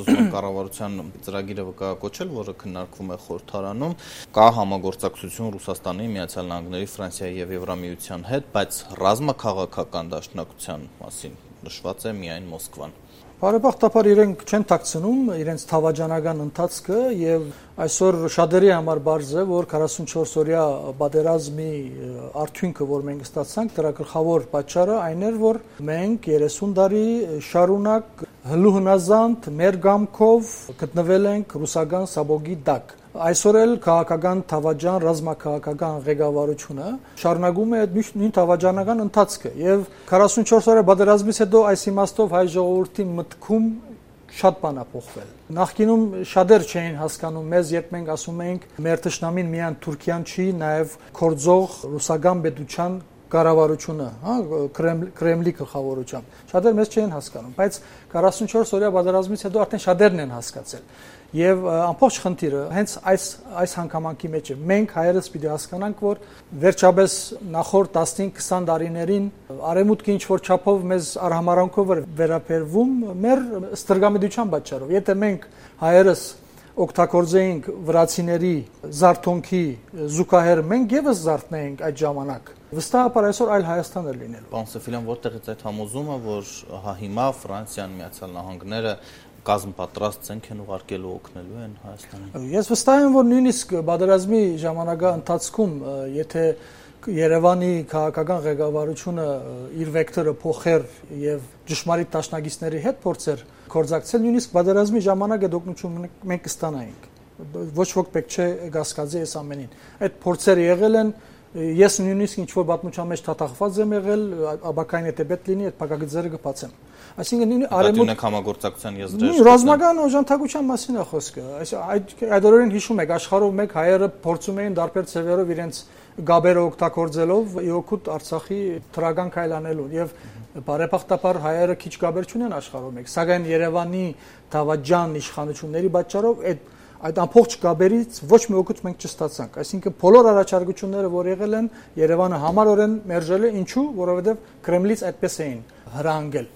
ուզում եմ կառավարության ծրագիրը վկայակոչել, որը քննարկվում է խորհրդարանում, կա համագործակցություն Ռուսաստանի, Միացյալ Նահանգների, Ֆրանսիայի եւ Եվրամիության հետ, բայց ռազմաքաղաքական դաշնակցության մասին նշված է միայն Մոսկվան։ Բարեբախտաբար իրենք չեն ཐակցնում իրենց թավաճանական ընթացքը եւ այսօր շատերի համար բարձ է, որ 44-օրյա պատերազմի արդյունքը, որ մենք ստացանք, դրա գլխավոր պատճառը այն էր, որ մենք 30 տարի շարունակ հլուհնազանդ մեր գամքով գտնվել ենք ռուսական սաբոգի տակ։ Այսօր էլ քաղաքական թավաճան, ռազմաքաղաքական ղեկավարությունը շարունակում է նույն թավաճանական ընթացքը եւ 44 օրյա պատերազմից հետո այս իմաստով հայ ժողովրդի մտքում շատ բան է փոխվել։ Նախկինում շատեր չէին հասկանում մեզ, երբ մենք ասում էինք մեր թշնամին միայն Թուրքիան չի, նաեւ կորձող ռուսական պետության կառավարությունը, Կրեմլի գլխավորությամբ։ Շատեր մեզ չէին հասկանում, բայց 44 օրյա պատերազմից հետո արդեն շատերն են հասկացել։ Եվ ամբողջ խնդիրը հենց այս հանգամանքի մեջ է։ Մենք հայերս պիտի հասկանանք, որ վերջապես նախորդ 15-20 տարիներին արևմուտքը ինչ որ չափով մեզ արհամարանքով վերաբերվում մեր ստրգամիջության պատճառով։ Եթե մենք հայերս օգտագործեինք վրացիների զարթոնքի զուգահեռ մենք եւս զարթնեինք այդ ժամանակ։ Վստահաբար այսօր այլ Հայաստան է լինելու։ Պարոն Սեֆիլյան, որտեղից այդ համոզումը, որ հիմա Ֆրանսիան, Միացյալ Նահանգները կազմ պատրաստ են ուղարկելու օգնելու են Հայաստանին։ Ես վստահ եմ, որ նույնիսկ պատերազմի ժամանակա ընթացքում, եթե Երևանի քաղաքական ղեկավարությունը իր վեկտորը փոխեր եւ ճշմարիտ դաշնակիցների հետ փորձեր կորձակցել, նույնիսկ պատերազմի ժամանակ այդ օգնությունը մենք կստանայինք։ Ոչ ոք պետք չէ գասկածի այս ամենին։ Այդ փորձերը եղել են, ես նույնիսկ ինչ որ պատմության մեջ թաթախված եմ եղել, աբակային եթե պետք լինի, այդ փակագծերը կբացեմ։ Այսինքն արևմուտք համագործակցության եզրեր ռազմական օժանդակության մասին է խոսքը։ Այդ օրերին հիշում եք, աշխարհով մեկ հայերը փորձում էին դարբեր ծևերով իրենց գաբերը օգտագործելով իօքուտ Արցախի թրագան քայլանելու եւ բարեբախտաբար հայերը քիչ գաբեր չունեն աշխարհով մեկ, սակայն Երևանի թավաճան իշխանությունների պատճառով այդ ամբողջ գաբերից ոչ մի օգուտ մենք չստացանք։ Այսինքն բոլոր առաջարկությունները, որ եղել են, Երևանը համառորեն մերժել է, ինչու, որովհետեւ Կրեմլից այդպես էին հրահանգել։